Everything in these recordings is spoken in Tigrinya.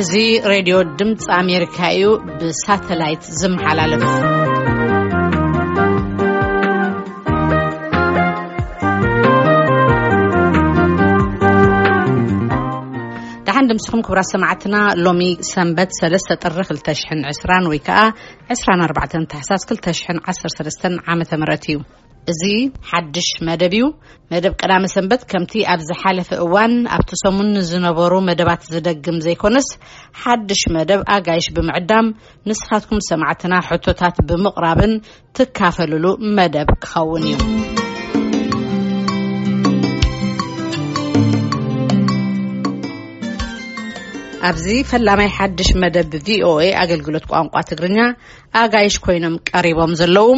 እዚ ሬድዮ ድምፂ ኣሜሪካ እዩ፣ ብሳተላይት ዝመሓላለፍ። ደሓን ድምስኹም ክቡራት ሰማዕትና። ሎሚ ሰንበት ሰለስተ ጥሪ ክልተ ሽሕን ዕስራን ወይ ከዓ ዕስራን ኣርባዕተን ታሕሳስ ክልተ ሽሕን ዓሰርተ ሰለስተን ዓመተ ምህረት እዩ። እዚ ሓድሽ መደብ እዩ። መደብ ቀዳመ ሰንበት ከምቲ ኣብ ዝሓለፈ እዋን ኣብቲ ሰሙን ዝነበሩ መደባት ዝደግም ዘይኮነስ፣ ሓድሽ መደብ ኣጋይሽ ብምዕዳም ንስኻትኩም ሰማዕትና ሕቶታት ብምቕራብን ትካፈልሉ መደብ ክኸውን እዩ። ኣብዚ ፈላማይ ሓድሽ መደብ ቪኦኤ ኣገልግሎት ቋንቋ ትግርኛ ኣጋይሽ ኮይኖም ቀሪቦም ዘለዉ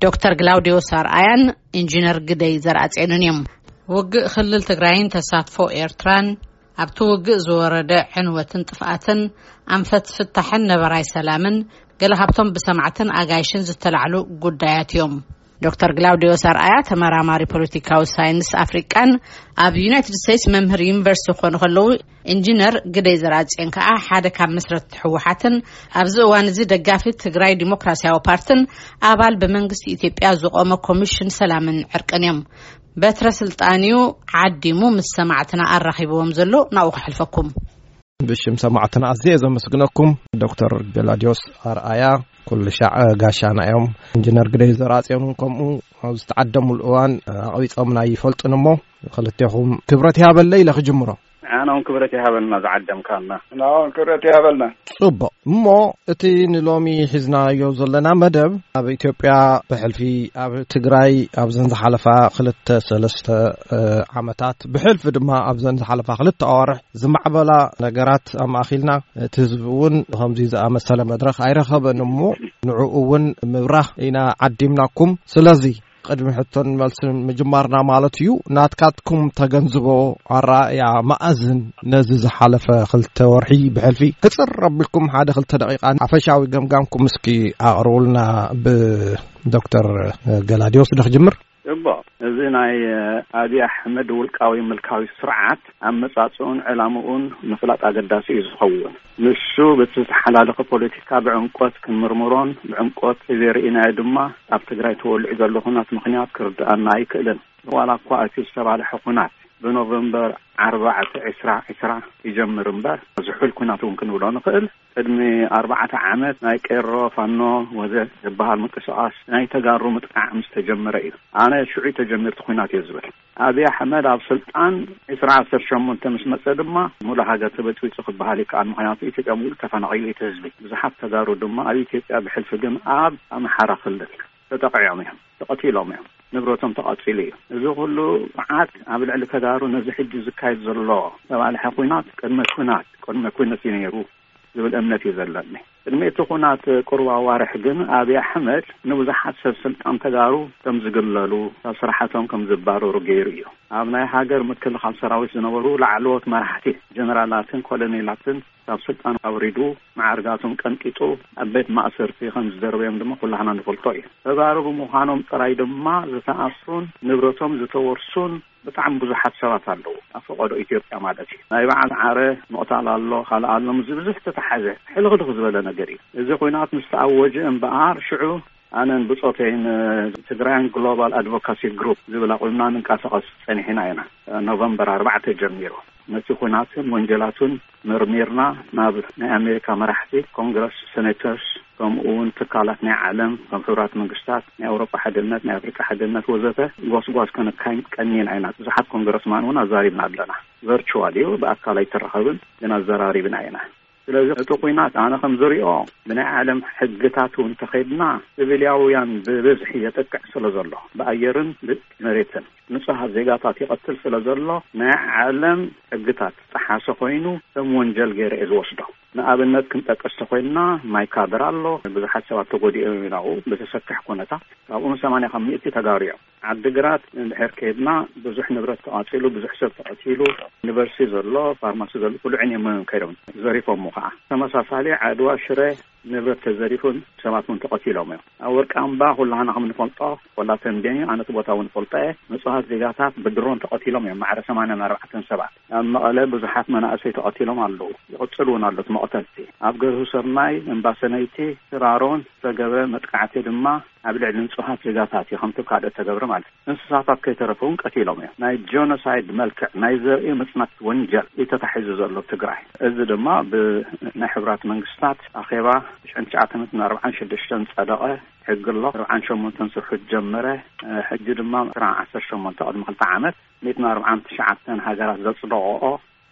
ዶክተር ግላውዲዮስ ኣርኣያን ኢንጂነር ግደይ ዘርኣጼንን እዮም። ውግእ ክልል ትግራይን ተሳትፎ ኤርትራን፣ ኣብቲ ውግእ ዝወረደ ዕንወትን ጥፍኣትን፣ ኣንፈት ፍታሕን ነበራይ ሰላምን ገለ ካብቶም ብሰማዕትን ኣጋይሽን ዝተላዕሉ ጉዳያት እዮም። ዶክተር ግላውዲዮስ ኣርኣያ ተመራማሪ ፖለቲካዊ ሳይንስ ኣፍሪቃን ኣብ ዩናይትድ ስቴትስ መምህር ዩኒቨርሲቲ ክኾኑ ከለዉ፣ ኢንጂነር ግደይ ዘርኣጽዮን ከኣ ሓደ ካብ መስረትቲ ህወሓትን ኣብዚ እዋን እዚ ደጋፊ ትግራይ ዲሞክራሲያዊ ፓርትን ኣባል ብመንግስቲ ኢትዮጵያ ዝቖመ ኮሚሽን ሰላምን ዕርቅን እዮም። በትረ ስልጣን እዩ ዓዲሙ ምስ ሰማዕትና ኣራኺብዎም ዘሎ፣ ናብኡ ከሕልፈኩም። ብሽም ሰማዕትና ኣዝየ ዘመስግነኩም። ዶክተር ገላዲዮስ ኣርኣያ ኩሉ ሻዕ ጋሻና እዮም። ኢንጂነር ግደይ ዘርኣጽዮን እውን ከምኡ፣ ኣብ ዝተዓደሙሉ እዋን ኣቕቢጾምና ይፈልጡን እሞ፣ ክልቴኹም ክብረት ይሃበለይ ኢለ ክጅምሮ። ንዓና እውን ክብረት ይሃበልና ዝዓደምካና። ንዓና እውን ክብረት ይሃበልና። ጽቡቕ። እሞ እቲ ንሎሚ ሒዝናዮ ዘለና መደብ፣ ኣብ ኢትዮጵያ ብሕልፊ፣ ኣብ ትግራይ ኣብዘን ዝሓለፋ ክልተ ሰለስተ፣ እ፣ ዓመታት፣ ብሕልፊ ድማ ኣብዘን ዝሓለፋ ክልተ ኣዋርሕ ዝማዕበላ ነገራት ኣማእኺልና፣ እቲ ህዝቢ እውን ከምዚ ዝኣመሰለ መድረኽ ኣይረኸበን እሞ፣ ንዕኡ እውን ምብራህ ኢና ዓዲምናኩም። ስለዚ፣ ቅድሚ ሕቶን መልስን ምጅማርና ማለት እዩ፣ ናትካትኩም ተገንዝቦ ኣረኣእያ መኣዝን ነዚ ዝሓለፈ ክልተ ወርሒ ብሕልፊ ክጽር ኣቢልኩም ሓደ ክልተ ደቂቃ ሓፈሻዊ ገምጋምኩም እስኪ ኣቕርቡልና፣ ብዶክተር ገላዲዮስ ዶ ክጅምር? እቦ፣ እዚ ናይ ኣብይ ኣሕመድ ውልቃዊ ምልካዊ ስርዓት ኣመጻጽኡን ዕላምኡን ምፍላጥ ኣገዳሲ እዩ ዝኸውን። ንሱ በቲ ዝተሓላለኸ ፖለቲካ ብዕምቆት ክንምርምሮን ብዕምቆት ከይዘርእናዮ ድማ ኣብ ትግራይ ተወሊዑ ዘሎ ኩናት ምኽንያት ክርድኣና ኣይክእልን። ዋላ እኳ እቲ ዝተባልሐ ኩናት ብኖቨምበር ኣርባዕተ ዕስራ ዕስራ ይጀምር እምበር፣ ዝሑል ኩናት እውን ክንብሎ ንኽእል። ቅድሚ ኣርባዕተ ዓመት ናይ ቄሮ፣ ፋኖ ወዘ ዝበሃል ምንቅስቓስ ናይ ተጋሩ ምጥቃዕ ምስ ተጀመረ እዩ። ኣነ ሽዑ ተጀሚርቲ ኩናት እየ ዝብል። ኣብይ ኣሕመድ ኣብ ስልጣን ዕስራ ዓሰርተ ሸሞንተ ምስ መጸ ድማ፣ ሙሉእ ሃገር ተበጽቢጹ ክበሃል ይከኣል። ምኽንያቱ ኢትዮጵያ ሙሉእ ተፈናቒሉ እቲ ህዝቢ። ብዙሓት ተጋሩ ድማ ኣብ ኢትዮጵያ፣ ብሕልፊ ግን ኣብ ኣምሓራ ክልል ተጠቒዖም እዮም፣ ተቐቲሎም እዮም፣ ንብረቶም ተቓጺሉ እዩ። እዚ ኩሉ መዓት ኣብ ልዕሊ ተጋሩ ነዚ ሕጂ ዝካየድ ዘሎ ዝተባልሐ ኩናት ቅድመ ኩናት፣ ቅድመ ኩነት እዩ ነይሩ ዝብል እምነት እዩ ዘለኒ። ቅድሚ እቲ ኩናት ቁሩብ ኣዋርሕ ግን ኣብይ ኣሕመድ ንብዙሓት ሰብ ስልጣን ተጋሩ ከም ዝግለሉ፣ ካብ ስራሓቶም ከም ዝባረሩ ገይሩ እዩ። ኣብ ናይ ሃገር ምክልኻል ሰራዊት ዝነበሩ ላዕለዎት መራሕቲ፣ ጀነራላትን ኮሎኔላትን ካብ ስልጣን ኣውሪዱ፣ መዓርጋቶም ቀንጢጡ ኣብ ቤት ማእሰርቲ ከም ዝደርበዮም ድማ ኩላህና ንፈልጦ እዩ። ተጋሩ ብምዃኖም ጥራይ ድማ ዝተኣስሩን ንብረቶም ዝተወርሱን ብጣዕሚ ብዙሓት ሰባት ኣለዉ። ኣብ ፈቐዶ ኢትዮጵያ ማለት እዩ። ናይ በዓል ዓረ ምቕታል ኣሎ፣ ካልእ ኣሎ፣ ምስዚ ብዙሕ ዝተተሓዘ ሕልኽልኽ ዝበለ ነገር እዩ። እዚ ኲናት ምስ ተኣወጀ እምበኣር፣ ሽዑ ኣነን ብጾተይን ትግራያን ግሎባል ኣድቮካሲ ግሩፕ ዝብል ኣቑምና ንንቀሳቐስ ጸኒሕና ኢና። ኖቨምበር ኣርባዕተ ጀሚሩ ነቲ ኲናትን ወንጀላቱን መርሚርና ናብ ናይ ኣሜሪካ መራሕቲ፣ ኮንግረስ፣ ሴኔተርስ፣ ከምኡ እውን ትካላት ናይ ዓለም ከም ሕቡራት መንግስታት፣ ናይ ኣውሮጳ ሓድነት፣ ናይ ኣፍሪቃ ሓድነት ወዘተ ጎስጓስ ከነካይድ ቀኒና ኢና። ብዙሓት ኮንግረስማን እውን ኣዛሪብና ኣለና። ቨርቹዋል እዩ፣ ብኣካል ኣይተራኸብን፣ ግን ኣዘራሪብና ኢና። ስለዚ እቲ ኲናት ኣነ ከም ዝሪኦ ብናይ ዓለም ሕግታት እውን እንተኸይድና ሲቪልያውያን ብብዝሒ የጥቅዕ ስለ ዘሎ ብኣየርን ብመሬትን ንጹሃት ዜጋታት ይቐትል ስለ ዘሎ ናይ ዓለም ሕግታት ጠሓሰ ኮይኑ ከም ወንጀል ገይረ እየ ዝወስዶ። ንኣብነት ክንጠቅስ ተኮይንና ማይ ካድራ ኣሎ፣ ብዙሓት ሰባት ተጎዲኦም ኢና ብተሰክሕ ኩነታት፣ ካብኡ ሰማንያ ካብ ሚእቲ ተጋሩ እዮም። ዓድግራት እንድሕር ከይድና ብዙሕ ንብረት ተቓጺሉ፣ ብዙሕ ሰብ ተቐቲሉ፣ ዩኒቨርሲቲ ዘሎ፣ ፋርማሲ ዘሎ፣ ኩሉ ዕንዮም ከይዶም ዘሪፎሞ ከዓ። ተመሳሳሊ ዓድዋ፣ ሽረ፣ ንብረት ተዘሪፉን ሰባት እውን ተቐቲሎም እዮም። ኣብ ወርቂ ኣምባ ኩላህና ከም ንፈልጦ፣ ወላ ተንቤን እዩ፣ ኣነ እቲ ቦታ እውን ፈልጦ እየ። ንጹሃት ዜጋታት ብድሮን ተቐቲሎም እዮም፣ ማዕረ ሰማንያን ኣርባዕተን ሰባት። ኣብ መቐለ ብዙሓት መናእሰይ ተቐቲሎም ኣለዉ፣ ይቕጽል እውን ኣሎ እቲ መቕተልቲ። ኣብ ገርሁ ሰማይ፣ እምባሰነይቲ፣ ሽራሮን ዝተገብረ መጥቃዕቲ ድማ ኣብ ልዕሊ ንጹሃት ዜጋታት እዩ፣ ከምቲ ካልኦት ተገብረ ማለት እዩ። እንስሳታት ከይተረፈ እውን ቀቲሎም እዮም። ናይ ጆኖሳይድ መልክዕ፣ ናይ ዘርኢ ምጽናት ወንጀል እዩ ተታሒዙ ዘሎ ትግራይ። እዚ ድማ ብናይ ሕቡራት መንግስታት ኣኼባ ትሽዓን ትሽዓተ ሚእትን ኣርባዓን ሽዱሽተን ጸደቐ ሕጊ ኣሎ። ኣርባዓን ሸሞንተን ስርሑ ጀመረ። ሕጂ ድማ ዕስራ ዓሰርተ ሸሞንተ፣ ቅድሚ ክልተ ዓመት፣ ሚእትን ኣርባዓን ትሽዓተን ሃገራት ዘጽደቐኦ፣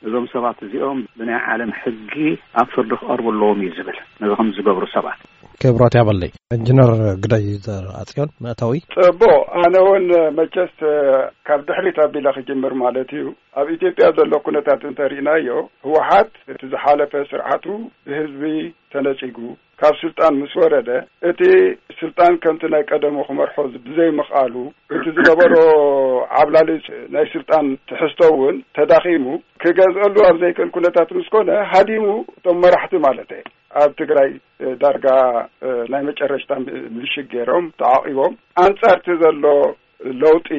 እዞም ሰባት እዚኦም ብናይ ዓለም ሕጊ ኣብ ፍርዲ ክቐርቡ ኣለዎም እዩ ዝብል፣ ነዚ ከም ዝገብሩ ሰባት። ክብሮት ያበለይ። ኢንጂነር ግዳይ ዘርኣጽዮን፣ መእተዊ። ጽቡቕ፣ ኣነ እውን መቸስ ካብ ድሕሪት ኣቢለ ክጅምር ማለት እዩ። ኣብ ኢትዮጵያ ዘሎ ኩነታት እንተሪእናዮ፣ ህወሓት እቲ ዝሓለፈ ስርዓቱ ብህዝቢ ተነጺጉ፣ ካብ ስልጣን ምስ ወረደ፣ እቲ ስልጣን ከምቲ ናይ ቀደሙ ክመርሖ ብዘይምኽኣሉ፣ እቲ ዝነበሮ ዓብላሊ ናይ ስልጣን ትሕዝቶ እውን ተዳኺሙ፣ ክገዝአሉ ኣብ ዘይክእል ኩነታት ምስ ኮነ፣ ሃዲሙ፣ እቶም መራሕቲ ማለት እየ፣ ኣብ ትግራይ ዳርጋ ናይ መጨረሽታ ምሽግ ገይሮም ተዓቒቦም፣ ኣንጻርቲ ዘሎ ለውጢ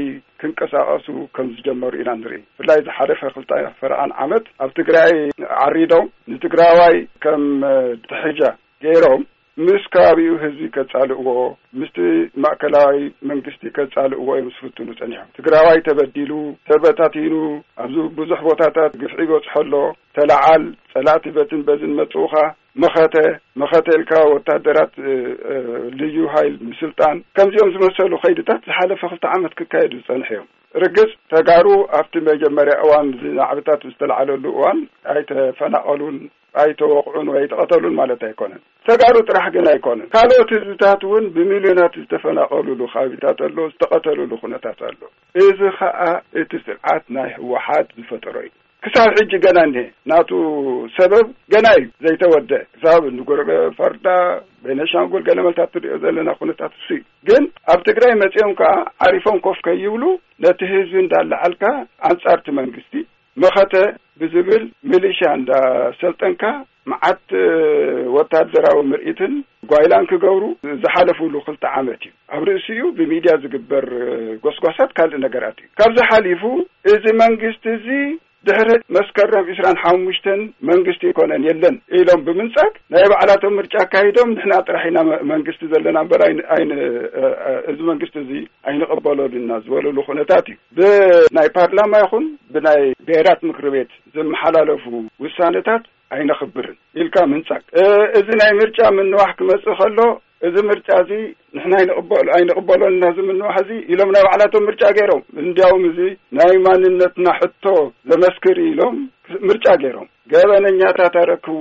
ክንቀሳቐሱ ከም ዝጀመሩ ኢና ንርኢ። ብፍላይ ዝሓለፈ ክልተ ፈረቓን ዓመት ኣብ ትግራይ ዓሪዶም፣ ንትግራዋይ ከም ትሕጃ ገይሮም፣ ምስ ከባቢኡ ህዝቢ ከጻልእዎ፣ ምስቲ ማእከላዊ መንግስቲ ከጻልእዎ እዮም ዝፍትኑ ጸኒሖም። ትግራዋይ ተበዲሉ፣ ተበታቲኑ፣ ኣብዚ ብዙሕ ቦታታት ግፍዒ ይበጽሖ ኣሎ፣ ተለዓል፣ ጸላእቲ በትን በዝን መጽኡኻ፣ መኸተ፣ መኸተ ኢልካ ወታደራት፣ እ፣ እ፣ ልዩ ሃይል ምስልጣን፣ ከምዚኦም ዝመሰሉ ከይድታት ዝሓለፈ ክልተ ዓመት ክካየዱ ዝጸንሑ እዮም። ርግጽ፣ ተጋሩ ኣብቲ መጀመርያ እዋን እዚ ናዕብታት ዝተለዓለሉ እዋን ኣይተፈናቐሉን፣ ኣይተወቕዑን ወይ ኣይተቐተሉን ማለት ኣይኮነን። ተጋሩ ጥራሕ ግን ኣይኮነን። ካልኦት ህዝብታት እውን ብሚልዮናት ዝተፈናቐሉሉ ከባቢታት ኣሎ፣ ዝተቐተሉሉ ኩነታት ኣሎ። እዚ ኸኣ እቲ ስርዓት ናይ ህወሓት ዝፈጠሮ እዩ። ክሳብ ሕጂ ገና እኒሀ፣ ናቱ ሰበብ ገና እዩ ዘይተወደ። ክሳብ ንጎረቤ ፈርዳ፣ ቤነሻንጉል፣ ገለ መልታት ትሪኦ ዘለና ኩነታት እሱ እዩ። ግን ኣብ ትግራይ መጺኦም ከኣ ዓሪፎም ኮፍ ከይብሉ፣ ነቲ ህዝቢ እንዳለዓልካ፣ ኣንጻርቲ መንግስቲ፣ መኸተ ብዝብል ሚሊሻ እንዳሰልጠንካ፣ መዓት ወታደራዊ ምርኢትን ጓይላን ክገብሩ ዝሓለፉሉ ክልተ ዓመት እዩ። ኣብ ርእሲኡ ብሚድያ ዝግበር ጎስጓሳት ካልእ ነገራት እዩ። ካብዚ ሓሊፉ፣ እዚ መንግስቲ እዚ ድሕሪ መስከረም ዕስራን ሓሙሽተን መንግስቲ ኣይኮነን፣ የለን ኢሎም ብምንጻግ፣ ናይ ባዕላቶም ምርጫ ኣካሂዶም፣ ንሕና ጥራሕ ኢና መ-፣ መንግስቲ ዘለና እምበር ኣይን-፣ ኣይን-፣ እ፣ እ፣ እዚ መንግስቲ እዚ ኣይንቕበሎን ኢና ዝበለሉ ኩነታት እዩ። ብናይ ፓርላማ ይኹን ብናይ ብሄራት ምክሪ ቤት ዝመሓላለፉ ውሳነታት ኣይነኽብርን ኢልካ ምንጻግ። እ፣ እዚ ናይ ምርጫ ምንዋሕ ክመጽእ ከሎ፣ እዚ ምርጫ እዚ ንሕና ኣይንቕበሎ-፣ ኣይንቕበሎን ኢና፣ እዚ ምንዋሕ እዚ ኢሎም ናይ ባዕላቶም ምርጫ ገይሮም። እንዲያውም እዚ ናይ ማንነትና ሕቶ ዘመስክር ኢሎም ምርጫ ገይሮም። ገበነኛታት ኣረክቡ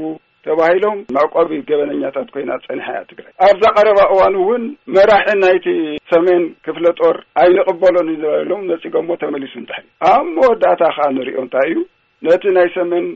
ተባሂሎም መዕቆቢ ገበነኛታት ኮይና ጸኒሓ እያ ትግራይ። ኣብዛ ቀረባ እዋን እውን መራሒ ናይቲ ሰሜን ክፍለ ጦር ኣይንቕበሎን ኢና ኢሎም ነጺጎሞ ተመሊሱ እንድሕር። ኣብ መወዳእታ ከኣ ንሪኦ እንታይ እዩ፣ ነቲ ናይ ሰሜን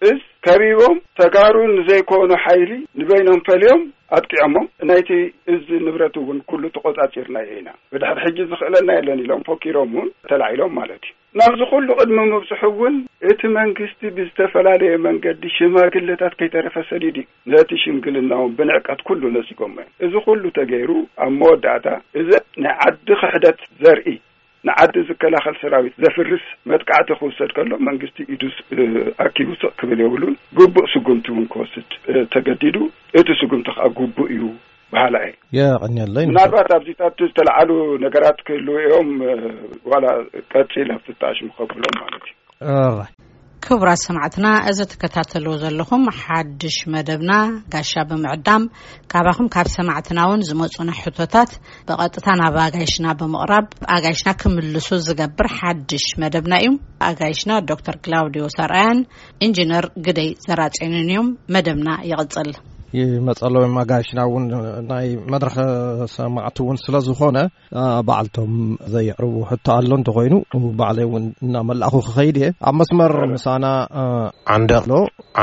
እዝ ከቢቦም፣ ተጋሩ ንዘይኮኑ ሓይሊ ንበይኖም ፈልዮም ኣጥቂዖሞም። ናይቲ እዝ ንብረት እውን ኩሉ ተቖጻጺርናዮ ኢና፣ ብድሕሪ ሕጂ ዝኽእለና የለን ኢሎም ፈኪሮም እውን ተላዒሎም ማለት እዩ። ናብዚ ኩሉ ቅድሚ ምብጽሑ እውን እቲ መንግስቲ ብዝተፈላለየ መንገዲ ሽማግለታት ከይተረፈ ሰዲዱ እዩ። ነቲ ሽምግልና እውን ብንዕቀት ኩሉ ነጺጎሞ እዮም። እዚ ኩሉ ተገይሩ ኣብ መወዳእታ እዚ ናይ ዓዲ ክሕደት ዘርኢ ንዓዲ ዝከላኸል ሰራዊት ዘፍርስ መጥቃዕቲ ክውሰድ ከሎ መንግስቲ ኢዱ ስ-፣ እ፣ ኣኪቡ ስቕ ክብል የብሉን። ግቡእ ስጉምቲ እውን ክወስድ፣ እ፣ ተገዲዱ። እቲ ስጉምቲ ከዓ ግቡእ እዩ በሃላ እየ። የቐንየለይ። ምናልባት ኣብዚታት ዝተለዓሉ ነገራት ክህልዉ እዮም፣ እ፣ ዋላ ቀፂል ኣብቲ ተኣሽሙ ከብሎም ማለት እዩ። ኦራይ። ክቡራት ሰማዕትና፣ እዚ ትከታተልዎ ዘለኹም ሓድሽ መደብና ጋሻ ብምዕዳም፣ ካባኹም ካብ ሰማዕትና እውን ዝመጹና ሕቶታት ብቐጥታ ናብ ኣጋይሽና ብምቕራብ፣ ኣጋይሽና ክምልሱ ዝገብር ሓድሽ መደብና እዩ። ኣጋይሽና ዶክተር ክላውዲዮ ሰርኣያን ኢንጂነር ግደይ ዘራጽዮንን እዮም። መደብና ይቕጽል። ይመጸሎም ኣጋይሽና እውን ናይ መድረኽ ሰማዕቲ እውን ስለ ዝኾነ፣ ኣ፣ ባዕልቶም ዘየቕርቡ ሕቶ ኣሎ እንተኾይኑ፣ ባዕለይ እውን እናመላእኹ ክኸይድ እየ። ኣብ መስመር ምሳና፣ ኣ፣ ዓንደቕ ኣሎ።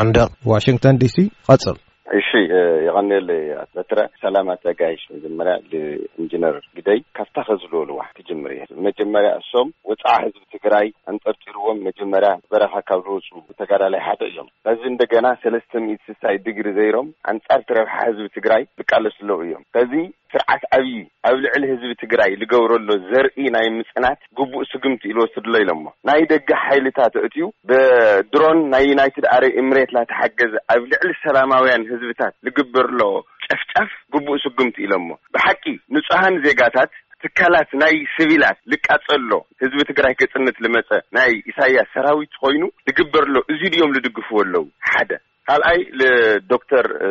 ዓንደቕ፣ ዋሽንግተን ዲሲ፣ ቀጽል። እሺ፣ እ፣ የቐንየለይ ኣቶ በትረ። ሰላም ኣቶ ጋይሽ። መጀመርያ ንኢንጂነር ግደይ ካብታ ከዝለወልዋ ክጅምር እየ። መጀመርያ እሶም ወፃዓ ህዝቢ ትግራይ ኣንጠርጢርዎም መጀመርያ በረኻ ካብ ዝወፁ ተጋዳላይ ሓደ እዮም። በዚ እንደገና ሰለስተ ሚእቲ ስሳይ ዲግሪ ዘይሮም ኣንጻር እቲ ረብሓ ህዝቢ ትግራይ ዝቃለሱ ኣለዉ እዮም። በዚ ስርዓት ኣብዪ ኣብ ልዕሊ ህዝቢ ትግራይ ዝገብረሎ ዘርኢ ናይ ምጽናት ግቡእ ስጉምቲ ኢሉ ወስድሎ ኢሎሞ። ናይ ደገ ሓይልታት ኣእትዩ ብድሮን ናይ ዩናይትድ ኣረብ ኤምሬት ላተሓገዘ ኣብ ልዕሊ ሰላማውያን ህዝብታት ዝግበር ኣሎ ጨፍጫፍ ግቡእ ስጉምቲ ኢሎሞ። ብሓቂ ንጹሃን ዜጋታት ትካላት ናይ ሲቪላት ልቃጸሎ ህዝቢ ትግራይ ክጽንት ልመጸ ናይ ኢሳያስ ሰራዊት ኮይኑ ዝግበር ኣሎ እዚ ድዮም ዝድግፍዎ ኣለዉ? ሓደ ካልኣይ ልዶክተር፣ እ፣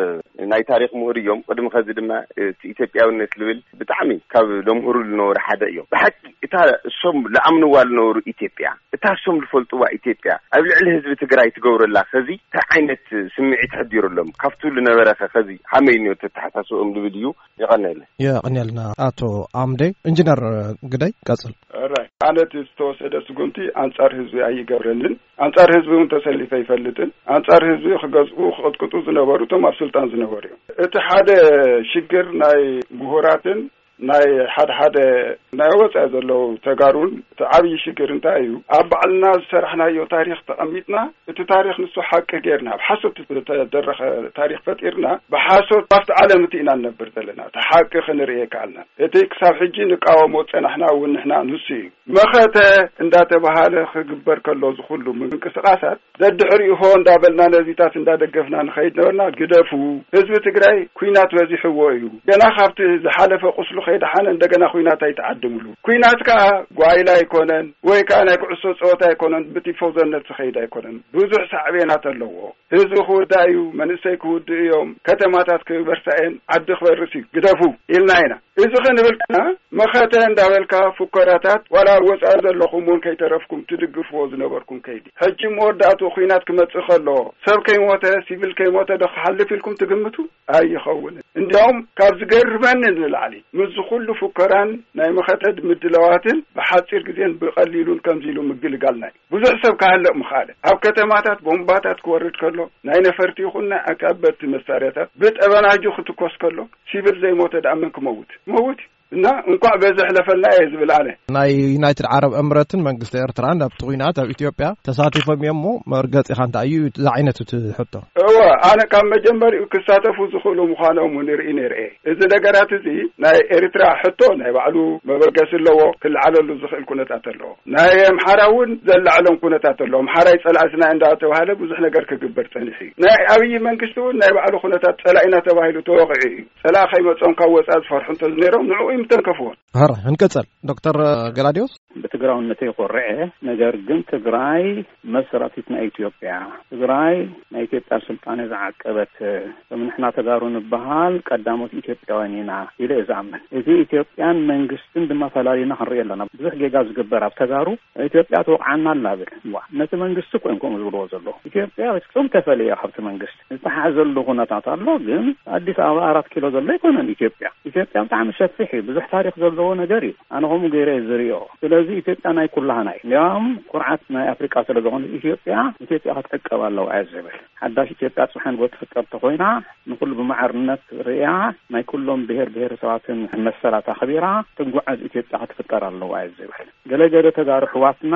ናይ ታሪክ ምሁር እዮም። ቅድሚ ከዚ ድማ፣ እ፣ እቲ ኢትዮጵያውነት ልብል ብጣዕሚ ካብ ለምህሩ ልነበሩ ሓደ እዮም። ብሓቂ እታ እሶም ለኣምንዋ ልነበሩ ኢትዮጵያ፣ እታ እሶም ልፈልጥዋ ኢትዮጵያ ኣብ ልዕሊ ህዝቢ ትግራይ ትገብረላ ከዚ እንታይ ዓይነት ስምዒት ተሕዲሩሎም ካብቱ ልነበረ ከ ከዚ ሃመይ ንዮ ተተሓሳስቦም ልብል እዩ። የቐነየለ። የቐንየልና ኣቶ ኣምዴ። ኢንጂነር ግደይ ቀጽል። ራይ ኣነ እቲ ዝተወሰደ ስጉምቲ ኣንጻር ህዝቢ ኣይገብረንን። ኣንጻር ህዝቢ እውን ተሰሊፈ ኣይፈልጥን። ኣንጻር ህዝቢ ክገዝኡ ክቕጥቅጡ ዝነበሩ እቶም ኣብ ስልጣን ዝነበሩ እዮም። እቲ ሓደ ሽግር ናይ ምሁራትን ናይ ሓደ ሓደ ናይ ወጻኢ ዘለዉ ተጋሩን እቲ ዓብዪ ሽግር እንታይ እዩ? ኣብ ባዕልና ዝሰራሕናዮ ታሪኽ ተቐሚጥና እቲ ታሪኽ ንሱ ሓቂ ጌርና ኣብ ሓሶት ዝተደረኸ ታሪኽ ፈጢርና ብሓሶት ኣብቲ ዓለም እቲ ኢና ንነብር ዘለና። እቲ ሓቂ ክንርኢ ኣይከኣልናን። እቲ ክሳብ ሕጂ ንቃወሞ ዝጸናሕና እውን ንሕና ንሱ እዩ። መኸተ እንዳተባሃለ ክግበር ከሎ ዝኹሉ ምንቅስቃሳት ደድሕሪኡ ሆ እንዳበልና ነዚታት እንዳደገፍና ንኸይድ ነበርና። ግደፉ፣ ህዝቢ ትግራይ ኩናት በዚሕዎ እዩ። ገና ካብቲ ዝሓለፈ ቁስሉ ከይደሓነ እንደገና ኩናት ኣይትዓድምሉ። ኩናት ከዓ ጓይላ ኣይኮነን ወይ ከዓ ናይ ኩዕሶ ፀወታ ኣይኮነን፣ ብቲፎዞነት ዝኸይድ ኣይኮነን። ብዙሕ ሳዕቤናት ኣለዎ። ህዝቢ ክውዳእ እዩ፣ መንእሰይ ክውድእ እዮም፣ ከተማታት ክበርሳ እየን፣ ዓዲ ክበርስ እዩ። ግደፉ ኢልና ኢና። እዚ ክንብል ከና መኸተ እንዳበልካ ፉከራታት ዋላ ኣብ ወፃኢ ዘለኹም እውን ከይተረፍኩም ትድግፍዎ ዝነበርኩም ከይዲ ሕጂ መወዳእትኡ ኩናት ክመፅእ ከሎ ሰብ ከይሞተ ሲቪል ከይሞተ ዶ ክሓልፍ ኢልኩም ትግምቱ? ኣይኸውንን። እንዲያውም ካብ ዝገርመኒ ንላዕሊ ምስዚ ኩሉ ፉከራን ናይ መኸተ ምድላዋትን ብሓፂር ግዜን ብቐሊሉን ከምዚ ኢሉ ምግልጋልና እዩ። ብዙሕ ሰብ ክሃልቕ ምኽኣለ። ኣብ ከተማታት ቦምባታት ክወርድ ከሎ ናይ ነፈርቲ ይኹን ናይ ኣካበድቲ መሳርያታት ብጠበናጁ ክትኮስ ከሎ ሲቪል ዘይሞተ ደኣ መን ክመውት? ክመውት እዩ። እና እንኳዕ በዚ ሕለፈልና እየ ዝብል ኣነ። ናይ ዩናይትድ ዓረብ እምረትን መንግስቲ ኤርትራን ኣብቲ ኲናት ኣብ ኢትዮጵያ ተሳቲፎም እዮም እሞ መርገጺኻ እንታይ እዩ ዝዓይነቱ እቲ ሕቶ? እወ፣ ኣነ ካብ መጀመሪኡ ክሳተፉ ዝኽእሉ ምዃኖም እውን ርኢ ነይረ እየ። እዚ ነገራት እዚ ናይ ኤርትራ ሕቶ ናይ ባዕሉ መበገሲ ኣለዎ፣ ክለዓለሉ ዝኽእል ኩነታት ኣለዎ። ናይ ኣምሓራ እውን ዘላዕሎም ኩነታት ኣለዎ። ኣምሓራይ ጸላእትና እንዳተባሃለ ብዙሕ ነገር ክግበር ጸኒሑ እዩ። ናይ ኣብይ መንግስቲ እውን ናይ ባዕሉ ኩነታት ጸላኢና ተባሂሉ ተወቂዑ እዩ። ጸላኢ ከይመጾም ካብ ወጻኢ ዝፈርሑ እንተዝነይሮም ንዕኡ እዩ ምተንከፍዎን። ሕራይ፣ ክንቅጽል። ዶክተር ገላዲዮስ? ብትግራውነተይ ይኮርዕ እየ። ነገር ግን ትግራይ መሰራቲት ናይ ኢትዮጵያ፣ ትግራይ ናይ ኢትዮጵያ ስልጣኔ ዝዓቀበት፣ ከም ንሕና ተጋሩ ንበሃል ቀዳሞት ኢትዮጵያውያን ኢና ኢለ እየ ዝኣምን። እዚ ኢትዮጵያን መንግስትን ድማ ፈላሊና ክንርኢ ኣለና። ብዙሕ ጌጋ ዝግበር ኣብ ተጋሩ ኢትዮጵያ ትወቕዓና ኣላ ብል። ዋ፣ ነቲ መንግስቲ እኮ እዮም ከምኡ ዝብልዎ ዘለዉ። ኢትዮጵያ ፍጹም ተፈልየ ካብቲ መንግስቲ። ዝተሓዘሉ ኩነታት ኣሎ፣ ግን ኣዲስ ኣበባ ኣራት ኪሎ ዘሎ ኣይኮነን ኢትዮጵያ። ኢትዮጵያ ብጣዕሚ ሰፊሕ እዩ፣ ብዙሕ ታሪኽ ዘለዎ ነገር እዩ። ኣነ ከምኡ ገይረ እየ ዝሪኦ። ስለዚ ኢትዮጵያ ናይ ኩላህና እዩ። እንዲያውም ኩርዓት ናይ ኣፍሪቃ ስለ ዝኾነ ኢትዮጵያ፣ ኢትዮጵያ ክትዕቀብ ኣለዋ እየ ዝብል። ሓዳሽ ኢትዮጵያ ጽባሕ ንግሆ ትፍጠር ተኾይና ንኹሉ ብማዕርነት ርእያ ናይ ኩሎም ብሄር ብሄረሰባትን መሰላት ኣኽቢራ ትጓዓዝ ኢትዮጵያ ክትፍጠር ኣለዋ እየ ዝብል። ገለ ገለ ተጋሩ ኣሕዋትና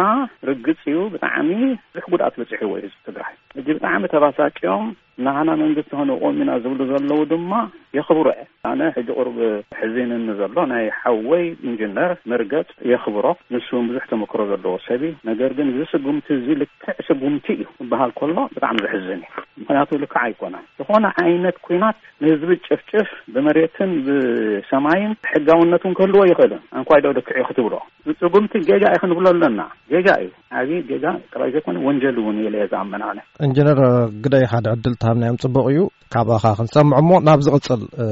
ርግጽ እዩ ብጣዕሚ ብዙሕ ጉድኣት በጺሕዎ እዩ ህዝቢ ትግራይ። ሕጂ ብጣዕሚ ተባሳጭዮም ናህና መንግስቲ ክንቆም ኢና ዝብሉ ዘለዉ ድማ የኽብሮ እየ። ኣነ ሕጂ ቁሩብ ሕዚንኒ ዘሎ ናይ ሓወይ ኢንጂነር መርገጽ የኽብሮ። ንሱ እውን ብዙሕ ተመክሮ ዘለዎ ሰብ እዩ። ነገር ግን እዚ ስጉምቲ እዚ ልክዕ ስጉምቲ እዩ ክበሃል ከሎ ብጣዕሚ ዘሕዝን እዩ። ምኽንያቱ ልክዕ ኣይኮነን። ዝኾነ ዓይነት ኲናት ንህዝቢ ጭፍጭፍ ብመሬትን ብሰማይን ሕጋውነት እውን ክህልዎ ይኽእልን። ኣንኳይ ዶ ልክዕ እዩ ክትብሎ? ስጉምቲ ጌጋ እዩ ክንብሎ ኣለና። ጌጋ እዩ። ዓብዪ ጌጋ ጥራይ ዘይኮነ ወንጀል እውን እዩ ኢለ እየ ዝኣምን ኣነ። ኢንጂነር ግደይ ሓደ ዕድል ተሃብናዮም ጽቡቕ እዩ። ካባኻ ክንሰምዕ እሞ ናብ ዝቕጽል፣ እ፣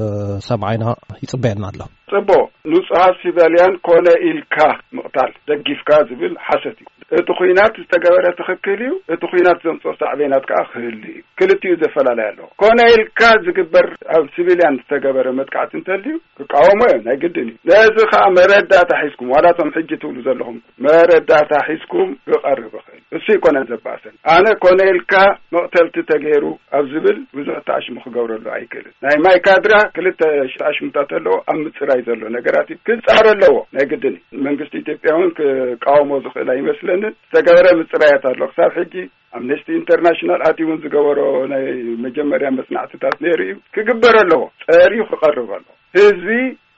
ሰምዓይና ይጽበየና ኣሎ። ጽቡቕ። ንጹሃት ሲቪልያን ኮነ ኢልካ ምቕታል ደጊፍካ ዝብል ሓሰት እዩ። እቲ ኲናት ዝተገበረ ትኽክል እዩ። እቲ ኲናት ዘምጽኦ ሳዕቤናት ከኣ ክህሉ እዩ። ክልቲኡ ዘፈላለይ ኣለዎ። ኮነ ኢልካ ዝግበር ኣብ ሲቪልያን ዝተገበረ መጥቃዕቲ እንተልዩ ክቃወሞ እዮም፣ ናይ ግድን እዩ። ነዚ ከኣ መረዳእታ ሒዝኩም፣ ዋላ እቶም ሕጂ ትብሉ ዘለኹም መረዳእታ ሒዝኩም ክቐርብ ይኽእል። እሱ ይኮነን ዘባእሰን። ኣነ ኮነ ኢልካ መቕተልቲ ተገይሩ ኣብ ዝብል ብዙሕ ተኣሽሙ ክገብረሉ ኣይክእልን። ናይ ማይካድራ ክልተ ተኣሽሙታት ኣለዎ። ኣብ ምፅራይ ዘሎ ነገራት እዩ። ክፃረ ኣለዎ፣ ናይ ግድን እዩ። መንግስቲ ኢትዮጵያ እውን ክቃወሞ ዝኽእል ኣይመስለንን። ዝተገበረ ምፅራያት ኣሎ። ክሳብ ሕጂ ኣምነስቲ ኢንተርናሽናል ኣትዩ እውን ዝገበሮ ናይ መጀመርያ መፅናዕትታት ነይሩ እዩ። ክግበር ኣለዎ። ፀርዩ ክቐርብ ኣለዎ። ህዝቢ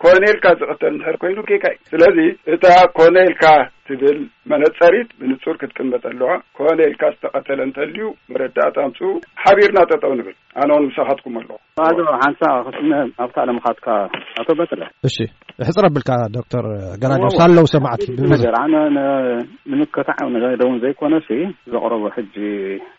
ኮነ ኢልካ ዝቕተል እንድሕር ኮይኑ ጌጋ እዩ። ስለዚ እታ ኮነ ኢልካ ትብል መነፀሪት ብንፁር ክትቅመጥ ኣለዋ። ኮነ ኢልካ ዝተቐተለ እንተልዩ መረዳእታ ኣምፅኡ፣ ሓቢርና ጠጠው ንብል። ኣነ እውን ምሳኻትኩም ኣለኹ። ኣቶ ሓንሳ ክስነ ኣብታ ለምኻትካ ኣቶ በትረ። እሺ፣ ሕፅር ኣቢልካ ዶክተር ገራዶ እዎ፣ ሳለው ሰማዕቲ ሓንቲ ብብዝሒ። ነገር ኣነ ነ-፣ ንምከታዕ ነገር እውን ዘይኮነሲ ዘቕረቦ ሕጂ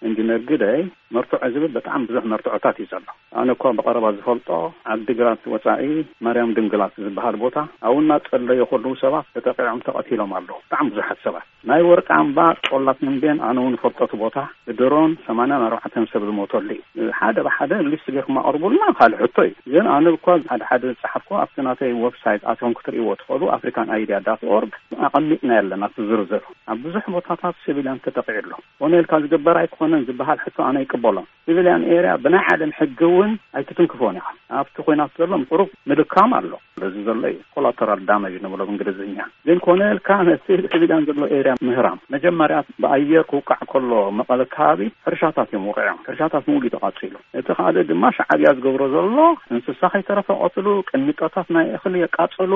ኢንጂነር ግደይ መርትዖ ዝብል በጣም ብዙሕ መርትዖታት እዩ ዘሎ። ኣነ እኳ ብቐረባ ዝፈልጦ ዓዲግራት ወፃኢ ማርያም ድንግላት ዝበሃል ቦታ ኣብኡ እናፀለዩ ከለዉ ሰባት ተጠቂዖም ተቐቲሎም ኣለዉ። ብጣዕሚ ብዙሓት ሰባት ናይ ወርቂ ኣምባ ቆላት ተምቤን ኣነ እውን ፈልጦ እቲ ቦታ ብድሮን ሰማንያን ኣርባዕተን ሰብ ዝሞተሉ እዩ። ሓደ ብሓደ ሊስት ጌርኩም ኣቕርቡልና ካልእ ሕቶ እዩ። ግን ኣነ እኳ ሓደ ሓደ ዝፀሓፍኩ ኣብቲ ናተይ ዌብሳይት ኣትዮም ክትርእይዎ ትኽእሉ ኣፍሪካን ኣይድያ ዳት ኦርግ ኣቐሚጥና ኣለና እቲ ዝርዝር። ኣብ ብዙሕ ቦታታት ሲቪልያን ተጠቂዑ ኣሎ። ኮነ ኢልካ ዝግበር ኣይኮነን ዝበሃል ሕቶ ኣነ ይቅበሎ። ሲቪልያን ኤርያ ብናይ ዓለም ሕጊ እውን ኣይትትንክፎን ኢኻ። ኣብቲ ኮይናት ዘሎ ቁሩብ ምልካም ኣሎ። እዚ ዘሎ እዩ ኮላተራል ዳመጅ ንብሎ ብእንግሊዝኛ። ግን ኮነ ኢልካ ነቲ ሲቪልያን ዘሎ ኤርያ ምህራም መጀመርያ ብኣየር ክውቃዕ ከሎ መቐለ ከባቢ ሕርሻታት እዮም ውቂዖም። ሕርሻታት ምሉእ ተቃፂሉ። እቲ ካልእ ድማ ሻዕብያ ዝገብሮ ዘሎ እንስሳ ከይተረፈ ቀትሉ፣ ቅሚጦታት ናይ እኽሊ የቃፅሉ፣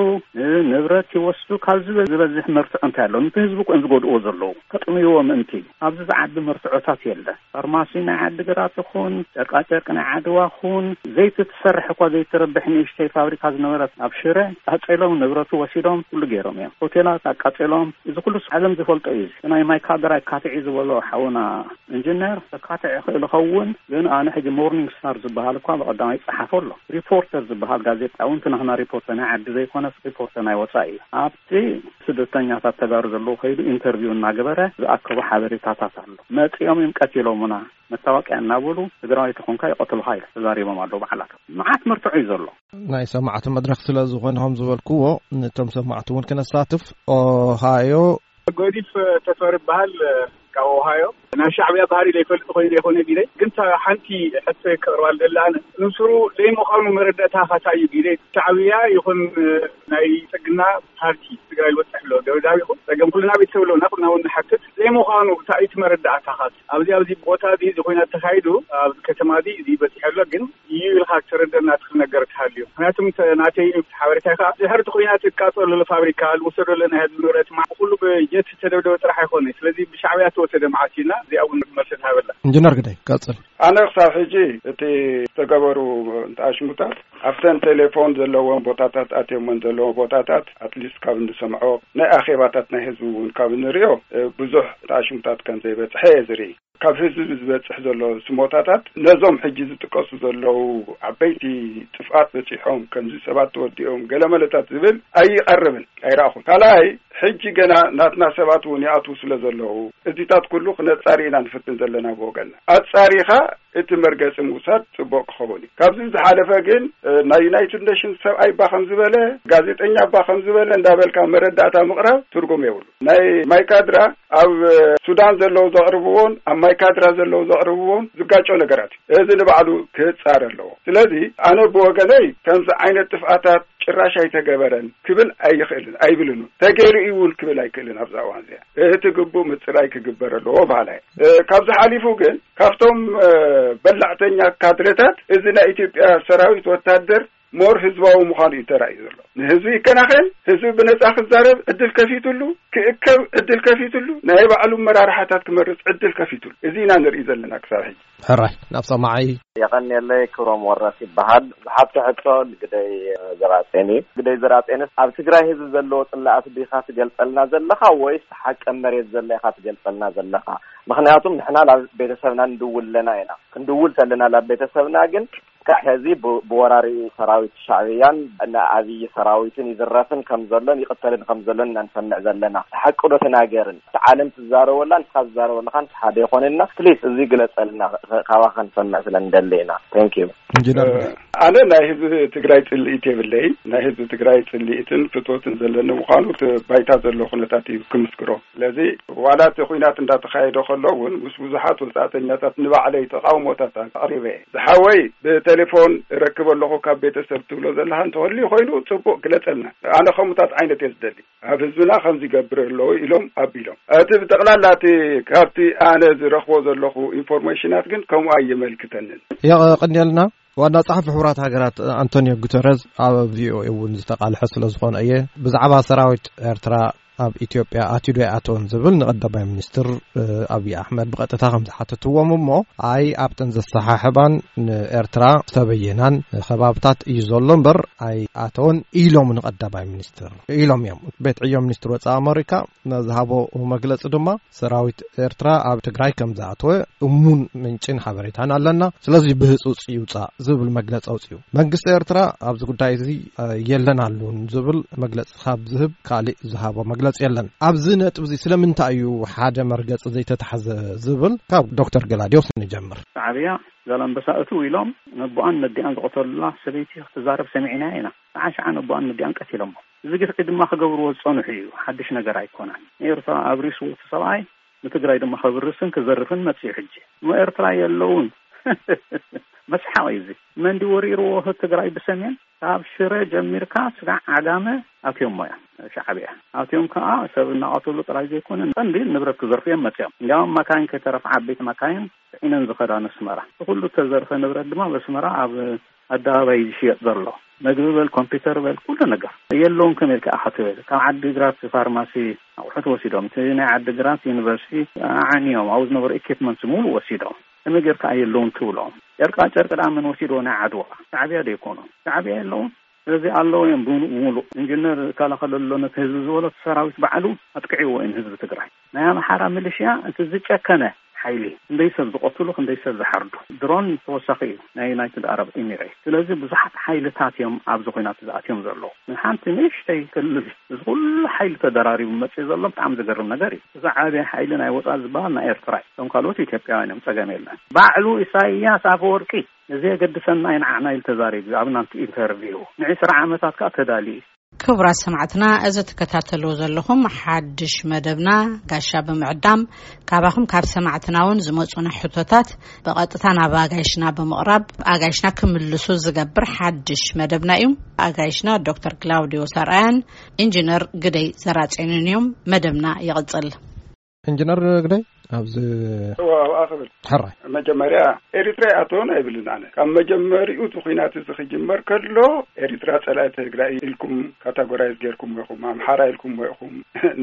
ንብረት ይወስዱ። ካብ ዝበ-፣ ዝበዝሕ መርትዖ እንታይ ኣሎ? ነቲ ህዝቢ እኮ እዮም ዝጎድእዎ ዘለዉ። ከጥምይዎ ምእንቲ ኣብዚ ዝዓቢ መርትዖታት የለን። ፋርማሲ ናይ ዓዲግራት ይኹን፣ ጨርቃጨርቂ ናይ ዓድዋ ይኹን፣ ዘይቲ ትሰርሕ እኳ ዘይትረብሕ ንእሽተይ ፋብሪካ ዝነበረት ኣብ ሽረ ቃፀሎም፣ ንብረቱ ወሲዶም፣ ኩሉ ገይሮም እዮም። ሆቴላት ኣቃፀሎም። እዚ ኩሉ ዓለም ዝፈልጦ እዩ። እዚ ናይ ማይካድራ ካትዒ ዝበሎ ሓውና ኢንጂነር ተካትዕ ይኽእል ይኸውን፣ ግን ኣነ ሕጂ ሞርኒንግ ስታር ዝበሃል እኳ ብቐዳማይ ይጸሓፎ ኣሎ። ሪፖርተር ዝበሃል ጋዜጣ እውን እቲ ናህና ሪፖርተር ናይ ዓዲ ዘይኮነስ ሪፖርተር ናይ ወጻኢ እዩ። ኣብቲ ስደተኛታት ተጋሩ ዘለዉ ከይዱ ኢንተርቪው እናገበረ ዝኣከቦ ሓበሬታታት ኣሎ። መጺኦም እዮም ቀቲሎምና፣ መታወቂያ እናበሉ ትግራዋይ ተኾንካ ይቐትሉኻ ኢሉ ተዛሪቦም ኣለዉ ባዕላቶም። መዓት መርትዖ እዩ ዘሎ። ናይ ሰማዕቲ መድረኽ ስለ ዝኾነ ከም ዝበልክዎ፣ ነቶም ሰማዕቲ እውን ክነሳትፍ ኦሃዮ ጎዲፍ ተፈሪ ይበሃል። ካብ ኦሃዮ። ናይ ሻዕብያ ባህሪ ዘይፈልጥ ኮይኑ ዘይኮነ ቢለይ፣ ግን እታ ሓንቲ ሕቶ ከቕርባ ዝደሊ ኣነ፣ ንስሩ ዘይምዃኑ መረዳእታኻ እንታይ እዩ ቢለይ? ሻዕብያ ይኹን ናይ ጽግና ፓርቲ ትግራይ ዝበጽሕ ኣሎ ደብዳብ ይኹን ጸገም ኩልና ቤተሰብ ኣለና፣ ኩልና እውን ንሓትት ዘይምዃኑ እንታይ እዩ እቲ መረዳእታኻ? ኣብዚ ኣብዚ ቦታ እዚ እዚ ኮይና ተኻይዱ ኣብዚ ከተማ እዚ እዚ በጺሑ ኣሎ፣ ግን እዩ ኢልካ ትረደና ትኽእል ነገር ተሃልዩ። ምክንያቱም ተ-፣ ናተይ ሓበሬታ ከኣ ድሕሪ እቲ ኩናት እቃጸሎ ዘሎ ፋብሪካ፣ ዝወሰዶ ዘሎ ናይ ህዝቢ ንብረት፣ ማ-፣ ኩሉ ብጀት ዝተደብደበ ጥራሕ ኣይኮነ። ስለዚ ብሻዕብያ ዝተወሰደ መዓት ኢልና እዚኣ እውን መልሲ ትሃበላ። ኢንጂነር ግደይ፣ ቀጽል። ኣነ ክሳብ ሕጂ እቲ ዝተገበሩ ኣሽሙታት ኣብተን ቴሌፎን ዘለዎም ቦታታት ኣትዮመን ዘለዎም ቦታታት ኣትሊስት ካብ እንሰምዖ ናይ ኣኼባታት ናይ ህዝቢ እውን ካብ እንሪኦ እ፣ ብዙሕ ኣሽሙታት ከም ዘይበጽሐ እየ ዝርኢ። ካብ ህዝቢ ዝበጽሕ ዘሎ ስሞታታት ነዞም ሕጂ ዝጥቀሱ ዘለዉ ዓበይቲ ጥፍኣት በጺሖም፣ ከምዚ ሰባት ተወዲኦም፣ ገለመለታት ዝብል ኣይቐርብን፣ ኣይረኣኹን። ካልኣይ፣ ሕጂ ገና ናትና ሰባት እውን ይኣትዉ ስለ ዘለዉ፣ እዚታት ኩሉ ክነጻሪ ኢና ንፍትን ዘለና ብወገንና። ኣጻሪኻ እቲ መርገጺ ምውሳድ ጽቡቕ ክኸውን እዩ። ካብዚ ዝሓለፈ ግን፣ እ፣ ናይ ዩናይትድ ኔሽንስ ሰብኣይ እባ ከም ዝበለ፣ ጋዜጠኛ እባ ከም ዝበለ እንዳበልካ መረዳእታ ምቕራብ ትርጉም የብሉ። ናይ ማይካድራ ኣብ ሱዳን ዘለዉ ዘቕርብዎን ኣብ ማይካድራ ዘለዉ ዘቕርብዎን ዝጋጮ ነገራት እዩ። እዚ ንባዕሉ ክህጻር ኣለዎ። ስለዚ ኣነ ብወገነይ ከምዚ ዓይነት ጥፍኣታት ጭራሽ ኣይተገበረን ክብል ኣይኽእልን፣ ኣይብልን እውን። ተገይሩ እዩ እውን ክብል ኣይክእልን። ኣብዛ እዋን እዚኣ እቲ ግቡእ ምጽራይ ክግበር ኣለዎ በሃላይ እየ። እ፣ ካብዚ ሓሊፉ ግን ካብቶም፣ እ፣ በላዕተኛ ካድረታት እዚ ናይ ኢትዮጵያ ሰራዊት ወታደር ሞር ህዝባዊ ምዃኑ እዩ ተራእዩ ዘሎ። ንህዝቢ ይከናኸን፣ ህዝቢ ብነጻ ክዛረብ ዕድል ከፊትሉ፣ ክእከብ ዕድል ከፊትሉ፣ ናይ ባዕሉ መራርሓታት ክመርጽ ዕድል ከፊትሉ። እዚ ኢና ንርኢ ዘለና ክሳብ ሕጂ። ሕራይ፣ ናብ ሰማዓይ። የቐንየለይ ክብሮም ወረስ ይበሃል። ዝሓቶ ሕቶ ንግደይ ዘራጼን እዩ። ግደይ ዘራጼንስ ኣብ ትግራይ ህዝቢ ዘለዎ ጽላኣት ዲኻ ትገልጸልና ዘለኻ ወይስ ሓቂ መሬት ዘሎ ኢኻ ትገልጸልና ዘለኻ? ምኽንያቱም ንሕና ናብ ቤተሰብና ንድውል ኣለና ኢና። ክንድውል ተለና ናብ ቤተሰብና ግን ክሳዕ ሕዚ ብ- ብወራሪ ሰራዊት ሻዕብያን ንኣብይ ሰራዊትን ይዝረፍን ከም ዘሎን ይቕተልን ከም ዘሎን ኢና ንሰምዕ ዘለና። ሓቂ ዶ ተናገርን? እቲ ዓለም ትዛረበላ፣ ንስኻ ትዛረበ ኣለኻ፣ ንስኻ ሓደ ይኾነልና። ፕሊስ፣ እዚ ግለጸልና፣ ኸ- ካባኻ ክንሰምዕ ስለ ንደሊ ኢና። Thank you። ኢንጂነር ኣነ ናይ ህዝቢ ትግራይ ጽልኢት የብለይ። ናይ ህዝቢ ትግራይ ጽልኢትን ፍትወትን ዘለኒ ምዃኑ እቲ ባይታ ዘሎ ኩነታት እዩ ክምስክሮ። ስለዚ ዋላ እቲ ኩናት እንዳተኻየደ ከሎ እውን ምስ ብዙሓት ወጻእተኛታት ንባዕለይ ተቃውሞታት ኣቕሪበ እየ። ዝሓወይ ብቴሌፎን እረክብ ኣለኹ ካብ ቤተሰብ ትብሎ ዘለኻ እንተህልዩ ኮይኑ ጽቡቕ ግለጸልና። ኣነ ከምኡታት ዓይነት እየ ዝደሊ። ኣብ ህዝብና ከምዚ ይገብር ኣለዉ ኢሎም ኣቢሎም። እቲ ብጠቕላላ እቲ ካብቲ ኣነ ዝረኽቦ ዘለኹ ኢንፎርሜሽናት ግን ከምኡ ኣይመልክተንን። የቐንየልና። ዋና ጸሓፊ ሕቡራት ሃገራት ኣንቶኒዮ ጉተረዝ ኣብ ቪኦኤ እውን ዝተቃልሐ ስለ ዝኾነ እየ። ብዛዕባ ሰራዊት ኤርትራ ኣብ ኢትዮጵያ ኣትዩ ዶ ኣይኣተወን ዝብል ንቀዳማይ ሚኒስትር ኣብይ ኣሕመድ ብቐጥታ ከም ዝሓተትዎም፣ እሞ ኣይ ኣብተን ዘሰሓሕባን ንኤርትራ ዝተበየናን ከባብታት እዩ ዘሎ እምበር ኣይኣተወን ኢሎም ንቀዳማይ ሚኒስትር ኢሎም እዮም። ቤት ዕዮ ሚኒስትር ወጻኢ ኣመሪካ ዝሃቦ መግለጺ ድማ ሰራዊት ኤርትራ ኣብ ትግራይ ከም ዝኣተወ እሙን ምንጭን ሓበሬታን ኣለና፣ ስለዚ ብህጹጽ ይውጻእ ዝብል መግለጺ ኣውጺኡ። መንግስቲ ኤርትራ ኣብዚ ጉዳይ እዚ የለን ኣሉን ዝብል መግለጺ ካብ ዝህብ ካልእ ዝሃቦ መግለጺ የለን። ኣብዚ ነጥቢ እዚ ስለምንታይ እዩ ሓደ መርገጺ ዘይተታሕዘ ዝብል ካብ ዶክተር ገላዲዮስ ንጀምር። ሻዕብያ ዛላምበሳ እትው ኢሎም ነቦኣን ነዲኣን ዝቐተሉላ ሰበይቲ ክትዛረብ ሰሚዕናያ ኢና። ሰዓ ሸዓ ነቦኣን ነዲኣን ቀቲሎሞ። እዚ ግፍዒ ድማ ክገብርዎ ዝጸንሑ እዩ። ሓድሽ ነገር ኣይኮነን። ንኤርትራ ኣብሪስዎ እቲ ሰብኣይ ንትግራይ ድማ ከብርስን ክዘርፍን መጽዩ ሕጂ። እሞ ኤርትራ የለውን። መስሓቕ እዩ እዚ። መንዲ ወሪርዎ ትግራይ ብሰሜን ካብ ሽረ ጀሚርካ ስጋዕ ዓጋመ ኣትዮሞ እዮም ሻዕብያ። ኣትዮም ከዓ ሰብ እናቐተሉ ጥራይ ዘይኮነ ቀንዲ ንብረት ክዘርፉ እዮም መፅዮም። እንዲያውም መካይን ከይተረፍ ዓበይቲ መካይን ፅዒነን ዝኸዳ ነስመራ። እቲ ኩሉ ተዘርፈ ንብረት ድማ በስመራ ኣብ ኣደባባይ ዝሽየጥ ዘሎ። መግቢ በል ኮምፒውተር በል ኩሉ ነገር የለውን። ከመይ ኢልካ ኢኻ ትብል? ካብ ዓዲ ግራት ፋርማሲ ኣቑሑት ወሲዶም፣ እቲ ናይ ዓዲ ግራት ዩኒቨርሲቲ ኣዓንዮም፣ ኣብኡ ዝነበሩ ኢኪፕመንት ሙሉ ወሲዶም። ከመይ ጌርካ የለውን ትብሎም? ጨርቃ ጨርቂ ደኣ መን ወሲድዎ? ናይ ዓድዋ ሻዕብያ ዶ ይኮኑ? ሻዕብያ የለውን። ስለዚ ኣለዉ እዮም ብሙሉእ። ኢንጂነር ይከላኸል ኣሎ ነቲ ህዝቢ ዝበሎ እቲ ሰራዊት ባዕሉ ኣጥቅዕዎ እዩ ንህዝቢ ትግራይ። ናይ ኣምሓራ ሚሊሽያ እቲ ዝጨከነ ሓይሊ፣ ክንደይ ሰብ ዝቐትሉ፣ ክንደይ ሰብ ዝሓርዱ። ድሮን ተወሳኺ እዩ ናይ ዩናይትድ ኣረብ ኤሚሬት። ስለዚ ብዙሓት ሓይልታት እዮም ኣብዚ ኹናት ዝኣትዮም ዘለዉ። ንሓንቲ ንእሽተይ ክልል እዚ ኩሉ ሓይሊ ተደራሪቡ መፅእ ዘሎ ብጣዕሚ ዘገርም ነገር እዩ። እዚ ዓብይ ሓይሊ ናይ ወፃኢ ዝበሃል ናይ ኤርትራ እዩ። እቶም ካልኦት ኢትዮጵያውያን እዮም፣ ፀገም የለን። ባዕሉ ኢሳይያስ ኣፈወርቂ እዚ የገድሰና እዩ ንዓና ኢሉ ተዛሪቡ ኣብ ናቱ ኢንተርቪው። ንዕስራ ዓመታት ከዓ ተዳልዩ እዩ። ክቡራት ሰማዕትና፣ እዚ ትከታተልዎ ዘለኹም ሓድሽ መደብና ጋሻ ብምዕዳም ካባኹም ካብ ሰማዕትና እውን ዝመጹና ሕቶታት ብቐጥታ ናብ ኣጋይሽና ብምቕራብ ኣጋይሽና ክምልሱ ዝገብር ሓድሽ መደብና እዩ። ኣጋይሽና ዶክተር ክላውዲዮስ ኣርኣያን ኢንጂነር ግደይ ዘራጼንን እዮም። መደብና ይቕጽል። ኢንጂነር ግደይ ኣብዚ እዋ ኣብኣ ክብል ሕራይ መጀመርያ ኤሪትራ ይኣተውን ኣይብልን ኣነ። ካብ መጀመሪኡ እቲ ኩናት እዚ ክጅመር ከሎ ኤሪትራ ጸላኢ ትግራይ ኢልኩም ካታጎራይዝ ጌርኩም ኢኹም፣ ኣምሓራ ኢልኩም ኢኹም።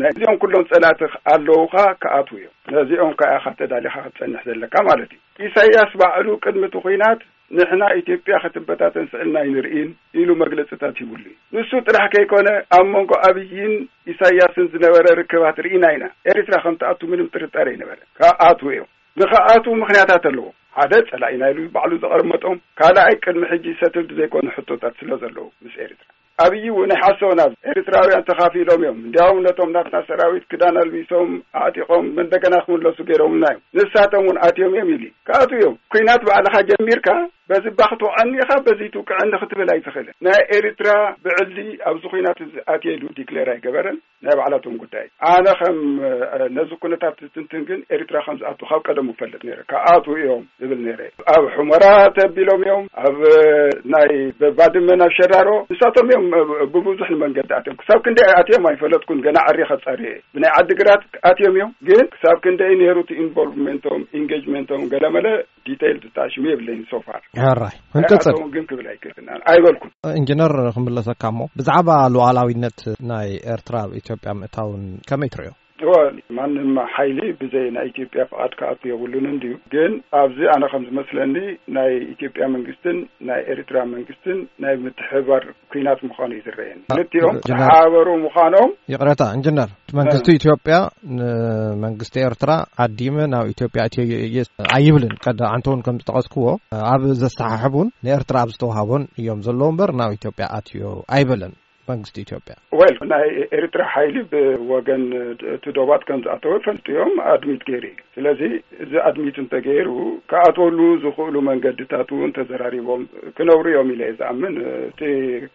ነዚኦም ኩሎም ጸላእቲ ኣለውኻ ክኣትዉ እዮም። ነዚኦም ከኣ ኢኻ ተዳሊኻ ክትጸንሕ ዘለካ ማለት እዩ። ኢሳያስ ባዕሉ ቅድሚ እቲ ኩናት ንሕና ኢትዮጵያ ክትበታተን ስእልና ኣይንርእን ኢሉ መግለጽታት ሂቡሉ እዩ። ንሱ ጥራሕ ከይኮነ ኣብ መንጎ ኣብይን ኢሳያስን ዝነበረ ርክባት ርኢና ኢና። ኤሪትራ ከም ትኣቱ ምንም ጥርጣረ ኣይነበረ። ክኣትዉ እዮም። ንኽኣትዉ ምኽንያታት ኣለዎ። ሓደ ጸላኢና ኢሉ ባዕሉ ዘቐመጦም፣ ካልኣይ ቅድሚ ሕጂ ሰትልድ ዘይኮነ ሕቶታት ስለ ዘለዉ ምስ ኤሪትራ። ኣብይ እውን ኣይሓሰቦን። ኣብ ኤሪትራውያን ተኻፊሎም እዮም። እንዲያውም ነቶም ናትና ሰራዊት ክዳን ኣልቢሶም ኣዕጢቖም እንደገና ክምለሱ ገይሮምና እዮም። ንሳቶም እውን ኣትዮም እዮም ኢሉ ክኣትዉ እዮም። ኩናት ባዕልኻ ጀሚርካ በዚ እባ ክትወቕዐኒ ኢኻ በዚ ትውቅዐኒ ክትብል ኣይትኽእልን። ናይ ኤሪትራ ብዕሊ ኣብዚ ኩናት እዚ ኣትየ ኢሉ ዲክሌር ኣይገበረን። ናይ ባዕላቶም ጉዳይ። ኣነ ከም ነዚ ኩነታት ዝትንትን ግን ኤሪትራ ከም ዝኣቱ ካብ ቀደሙ እፈልጥ ነይረ። ክኣትዉ እዮም ዝብል ነይረ። ኣብ ሑመራ ተቢሎም እዮም፣ ኣብ ናይ ባድመ ናብ ሸራሮ ንሳቶም እዮም ብብዙሕ መንገዲ ኣትዮም። ክሳብ ክንደይ ኣትዮም ኣይፈለጥኩን፣ ገና ዓርየ ከጻሪ እየ። ብናይ ዓዲግራት ኣትዮም እዮም፣ ግን ክሳብ ክንደይ ነይሩ እቲ ኢንቮልቭመንቶም፣ ኢንጌጅመንቶም ገለመለ ዲቴይል ዝጣሽሙ የብለይን ሶፋር። ሕራይ ክንቅጽል። ኣይኣተውን ግን ክብል ኣይክእልን ኣይበልኩን። ኢንጂነር ክምለሰካ እሞ ብዛዕባ ሉዓላዊነት ናይ ኤርትራ ኣብ ኢትዮጵያ ምእታውን ከመይ ትርእዮ? እወ፣ ማንም ሓይሊ ብዘይ ናይ ኢትዮጵያ ፍቓድ ክኣቱ የብሉን እንድዩ። ግን ኣብዚ ኣነ ከም ዝመስለኒ ናይ ኢትዮጵያ መንግስትን ናይ ኤርትራ መንግስትን ናይ ምትሕብባር ኲናት ምዃኑ እዩ ዝረኣየኒ። ክልቲኦም ጀነራል፣ ተሓባበሩ ምዃኖም። ይቕረታ ኢንጂነር፣ መንግስቲ ኢትዮጵያ ንመንግስቲ ኤርትራ ዓዲመ ናብ ኢትዮጵያ ኣትዮ እየ ኣይብልን። ቀዳዓንተ እውን ከም ዝጠቐስክዎ ኣብ ዘሰሓሕቡን ንኤርትራ ኣብ ዝተዋሃቦን እዮም ዘለዉ እምበር ናብ ኢትዮጵያ ኣትዮ ኣይበለን መንግስቲ ኢትዮጵያ። ወል ናይ ኤርትራ ሓይሊ ብወገን እቲ ዶባት ከም ዝኣተወ ፈልጡ እዮም ኣድሚት ገይሩ እዩ። ስለዚ እዚ ኣድሚት እንተገይሩ ክኣትወሉ ዝኽእሉ መንገድታት እውን ተዘራሪቦም ክነብሩ እዮም ኢለ እየ ዝኣምን። እቲ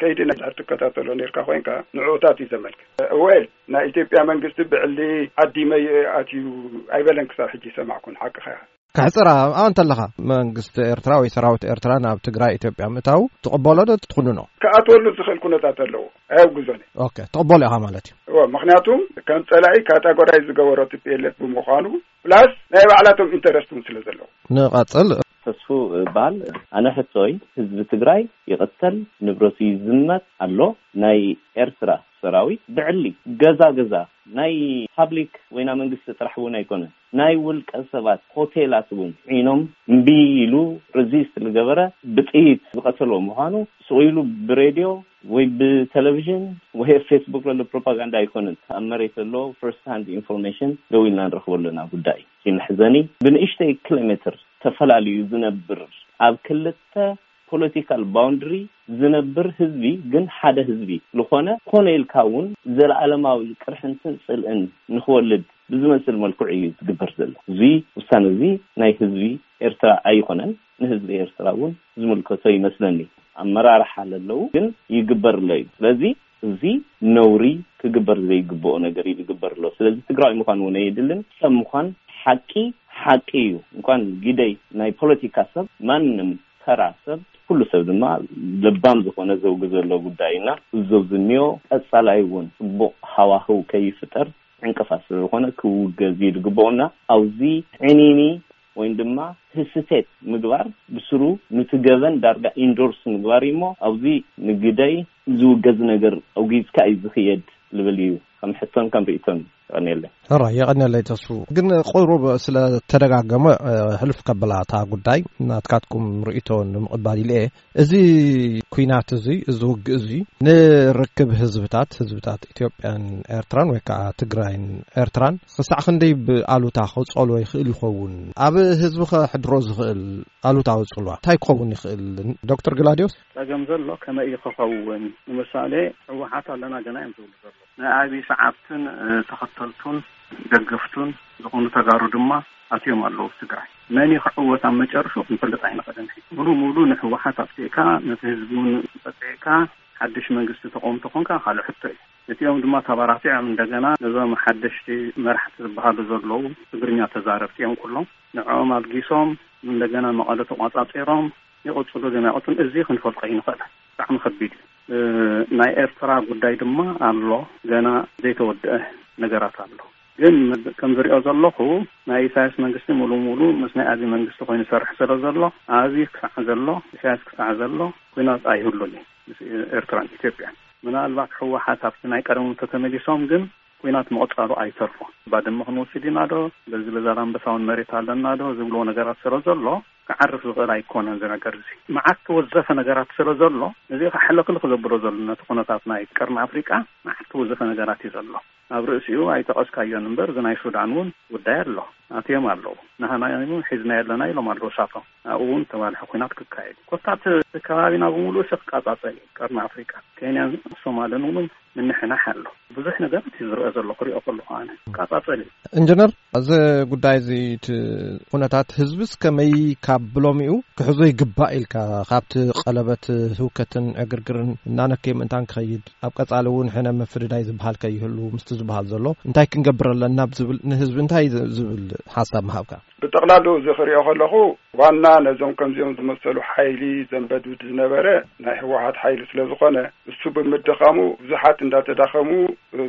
ከይዲ ናይ ትከታተሎ ነርካ ኮይንካ ንዕኡታት እዩ ዘመልክት። ወል ናይ ኢትዮጵያ መንግስቲ ብዕሊ ዓዲመ ኣትዩ ኣይበለን ክሳብ ሕጂ ሰማዕኩን። ሓቅኻ። ከሕፅር ኣንተለኻ መንግስቲ ኤርትራ ወይ ሰራዊት ኤርትራ ናብ ትግራይ ኢትዮጵያ ምእታው ትቕበሎ ዶ ትኹንኖ? ክኣትወሉ ዝኽእል ኩነታት ኣለዎ። ኣየውግዞን። ኦኬ፣ ትቕበሎ ኢኻ ማለት እዩ። እወ፣ ምኽንያቱም ከም ጸላኢ ካታጎራይ ዝገበሮ ቲ ፒ ኤል ኤፍ ብምዃኑ፣ ፕላስ ናይ ባዕላቶም ኢንተረስት እውን ስለ ዘለዎ። ንቐጽል። ተስፉ እባል። ኣነ ሕቶይ፣ ህዝቢ ትግራይ ይቕተል፣ ንብረቱ ይዝመት ኣሎ። ናይ ኤርትራ ሰራዊት ብዕሊ ገዛ ገዛ፣ ናይ ፓብሊክ ወይና መንግስቲ ጥራሕ እውን ኣይኮነን፣ ናይ ውልቀ ሰባት ሆቴላት እውን ዒኖም እምቢ ኢሉ ሬዚስት ዝገበረ ብጥይት ዝቐተሎ ምዃኑ ስቕ ኢሉ ብሬድዮ ወይ ብቴሌቪዥን ወይ ኣብ ፌስቡክ ዘሎ ፕሮፓጋንዳ ኣይኮነን። ኣብ መሬት ዘሎ ፈርስት ሃንድ ኢንፎርሜሽን ደው ኢልና ንረኽቦ ኣለና ጉዳይ። እቲ መሕዘኒ ብንእሽተይ ኪሎ ሜትር ተፈላልዩ ዝነብር ኣብ ክልተ ፖለቲካል ባውንድሪ ዝነብር ህዝቢ ግን ሓደ ህዝቢ ዝኾነ ኮነ ኢልካ እውን ዘለኣለማዊ ቅርሕንትን ጽልእን ንኽወልድ ብዝመስል መልክዑ እዩ ዝግበር ዘሎ። እዚ ውሳነ እዚ ናይ ህዝቢ ኤርትራ ኣይኮነን። ንህዝቢ ኤርትራ እውን ዝምልከቶ ይመስለኒ። ኣመራርሓ ለለዉ ግን ይግበር ኣሎ እዩ። ስለዚ እዚ ነውሪ ክግበር ዘይግብኦ ነገር እዩ ዝግበር ኣሎ። ስለዚ ትግራዊ ምዃን እውን ኣየድልን። ሰብ ምዃን ሓቂ ሓቂ እዩ። እንኳን ግደይ ናይ ፖለቲካ ሰብ፣ ማንም ተራ ሰብ፣ ኩሉ ሰብ ድማ ለባም ዝኾነ ዘውጊ ዘሎ ጉዳይ እና እዚ ዘውዚ እኒኦ ቀጻላይ እውን ጽቡቕ ሃዋህው ከይፍጠር ዕንቅፋት ስለ ዝኾነ ክውገዝ እዩ ዝግብኦና። ኣብዚ ዕኒኒ ወይም ድማ ህስቴት ምግባር ብስሩ ንቲ ገበን ዳርጋ ኢንዶርስ ምግባር እዩ እሞ ኣብዚ ንግደይ ዝውገዝ ነገር ኣውጊዝካ እዩ ዝኽየድ ልብል እዩ ከም ሕቶን ከም ርእቶን። የቐንየለይ። ሕራ የቐንየለይ ተስፉ። ግን ቁሩብ ስለ ተደጋገመ ሕልፍ ከበላ እታ ጉዳይ ናትካትኩም ርእቶ ንምቕባል ኢለ እየ። እዚ ኲናት እዚ፣ እዚ ውግእ እዚ ንርክብ ህዝብታት፣ ህዝብታት ኢትዮጵያን ኤርትራን ወይ ከዓ ትግራይን ኤርትራን ክሳዕ ክንደይ ብኣሉታ ክጸሎ ይኽእል ይኸውን? ኣብ ህዝቢ ከሕድሮ ዝኽእል ኣሉታዊ ጽልዋ እንታይ ክኸውን ይኽእል? ዶክተር ግላዲዮስ? ጸገም ዘሎ ከመይ እዩ ክኸውን? ንምሳሌ ህወሓት ኣለና ገና እዮም ዝብሉ ዘለዉ። ናይ ኣብዪ ሰዓብትን ተኸተልቱን ደገፍቱን ዝኾኑ ተጋሩ ድማ ኣትዮም ኣለዉ ትግራይ። መን እዩ ክዕወት ኣብ መጨረሹ ክንፈልጥ ኣይንኽእልን። ሙሉ ሙሉ ንህወሓት ኣጥፊእካ ነቲ ህዝቢ እውን ጸጥዕካ ሓድሽ መንግስቲ ተቆም ተኾንካ ካልእ ሕቶ እዩ። እቲኦም ድማ ተባራቲዖም እንደገና ነዞም ሓደሽቲ መራሕቲ ዝበሃሉ ዘለዉ ትግርኛ ተዛረብቲ እዮም ኩሎም። ንዕኦም ኣልጊሶም እንደገና መቐለ ተቋጻጺሮም ይቕጽሉ ዶ ኣይቕጽሉን እዚ ክንፈልጦ ኣይንኽእልን። ብጣዕሚ ከቢድ እዩ። ናይ ኤርትራ ጉዳይ ድማ ኣሎ፣ ገና ዘይተወደአ ነገራት ኣሎ። ግን ከም ዝሪኦ ዘለኹ ናይ ኢሳያስ መንግስቲ ሙሉ ሙሉ ምስ ናይ ኣብዪ መንግስቲ ኮይኑ ይሰርሕ ስለ ዘሎ ኣብዪ ክሳዕ ዘሎ ኢሳያስ ክሳዕ ዘሎ ኩናት ኣይህሉን እዩ ምስ ኤርትራን ኢትዮጵያን። ምናልባት ህወሓት ኣብቲ ናይ ቀደሞም ተተመሊሶም ግን ኩናት ምቕጻሉ ኣይተርፎ። ባድመ ክንወስድ ኢና ዶ በዚ በዛላምበሳውን መሬት ኣለና ዶ ዝብልዎ ነገራት ስለ ዘሎ ክዓርፍ ዝኽእል ኣይኮነን። እዚ ነገር እዚ መዓት ተወዘፈ ነገራት ስለ ዘሎ እዚ ከሕለክልክ ዘብሎ ዘሎ ነቲ ኩነታት ናይ ቀርኒ ኣፍሪቃ መዓት ተወዘፈ ነገራት እዩ ዘሎ። ኣብ ርእሲኡ ኣይጠቐስካዮን እምበር እዚ ናይ ሱዳን እውን ጉዳይ ኣሎ። ኣትዮም ኣለዉ። ንሃና ሒዝና የለና ኢሎም ኣለዉ እሳቶም። ኣብኡ እውን ተባልሐ ኩናት ክካየድ እዩ። ኮታ እቲ ከባቢና ብምሉእ ሲ ክቃጻጸል እዩ። ቀርኒ ኣፍሪቃ ኬንያን ሶማልን እውን ምንሕናሕ ኣሎ። ብዙሕ ነገራት እዩ ዝረአ ዘሎ ክሪኦ ከለኹ ኣነ። ክቃጻጸል እዩ። ኢንጂነር፣ እዚ ጉዳይ እዚ እቲ ኩነታት ህዝብስ ከመይ ካብ ብሎሚኡ ክሕዞ ይግባእ ኢልካ ካብቲ ቀለበት ህውከትን ዕግርግርን እናነከየ ምእንታን ክኸይድ ኣብ ቀጻሊ እውን ሕነ ምፍድዳይ ዝበሃል ከይህሉ ምስቲ ዝበሃል ዘሎ እንታይ ክንገብር ኣለና ብዝብል ንህዝቢ እንታይ ዝ- ዝብል ሓሳብ ምሃብካ? ብጠቕላሉ እዚ ክሪኦ ከለኹ ዋና ነዞም ከምዚኦም ዝመሰሉ ሓይሊ ዘንበድብድ ዝነበረ ናይ ህወሓት ሓይሊ ስለ ዝኾነ እሱ ብምድኻሙ ብዙሓት እንዳተዳኸሙ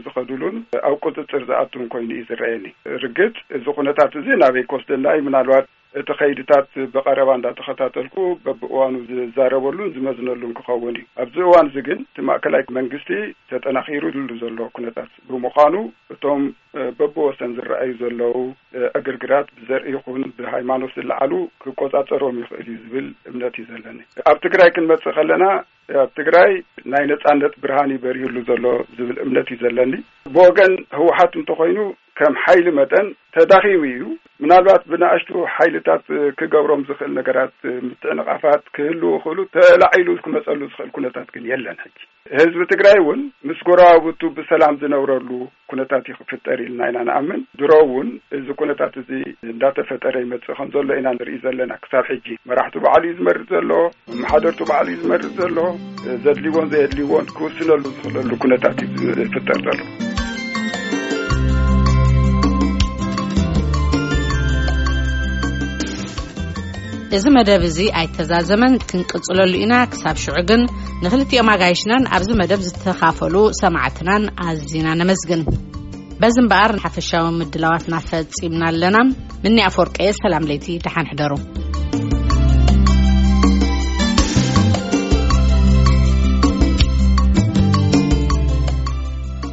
ዝኸዱሉን ኣብ ቁፅፅር ዝኣቱን ኮይኑ እዩ ዝረኣየኒ። ርግፅ እዚ ኩነታት እዚ ናበይ ክወስደና እዩ? ምናልባት እቲ ከይድታት ብቐረባ እንዳተኸታተልኩ በብእዋኑ ዝዛረበሉን ዝመዝነሉን ክኸውን እዩ። ኣብዚ እዋን እዚ ግን እቲ ማእከላይ መንግስቲ ተጠናኺሩሉ ዘሎ ኩነታት ብምዃኑ፣ እቶም በብወሰን ዝረኣዩ ዘለዉ ዕግርግራት ብዘርኢ ይኹን ብሃይማኖት ዝለዓሉ ክቆጻጸሮም ይኽእል እዩ ዝብል እምነት እዩ ዘለኒ። ኣብ ትግራይ ክንመጽእ ከለና፣ ኣብ ትግራይ ናይ ነጻነት ብርሃን እዩ በሪህሉ ዘሎ ዝብል እምነት እዩ ዘለኒ። ብወገን ህወሓት እንተኾይኑ፣ ከም ሓይሊ መጠን ተዳኺሙ እዩ። ምናልባት ብንኣሽቱ ሓይልታት ክገብሮም ዝኽእል ነገራት፣ ምትዕንቓፋት ክህልዉ ይኽእሉ፣ ተላዒሉ ክመጸሉ ዝኽእል ኩነታት ግን የለን። ሕጂ ህዝቢ ትግራይ እውን ምስ ጎረባብቱ ብሰላም ዝነብረሉ ኩነታት እዩ ክፍጠር ኢልና ኢና ንኣምን። ድሮ እውን እዚ ኩነታት እዚ እንዳተፈጠረ ይመጽእ ከም ዘሎ ኢና ንርኢ ዘለና። ክሳብ ሕጂ መራሕቱ ባዕሉ እዩ ዝመርጽ ዘሎ፣ ኣመሓደርቱ ባዕሉ እዩ ዝመርጽ ዘሎ። ዘድልይዎን ዘየድልይዎን ክውስነሉ ዝኽእለሉ ኩነታት እዩ ዝፍጠር ዘሎ። እዚ መደብ እዚ ኣይተዛዘመን፣ ክንቅጽለሉ ኢና። ክሳብ ሽዑ ግን ንኽልቲኦም ኣጋይሽናን ኣብዚ መደብ ዝተኻፈሉ ሰማዕትናን ኣዚና ነመስግን። በዚ እምበኣር ሓፈሻዊ ምድላዋትና ፈጺምና ኣለና። ምኒ ኣፈወርቀየ፣ ሰላም ለይቲ፣ ደሓን ሕደሩ።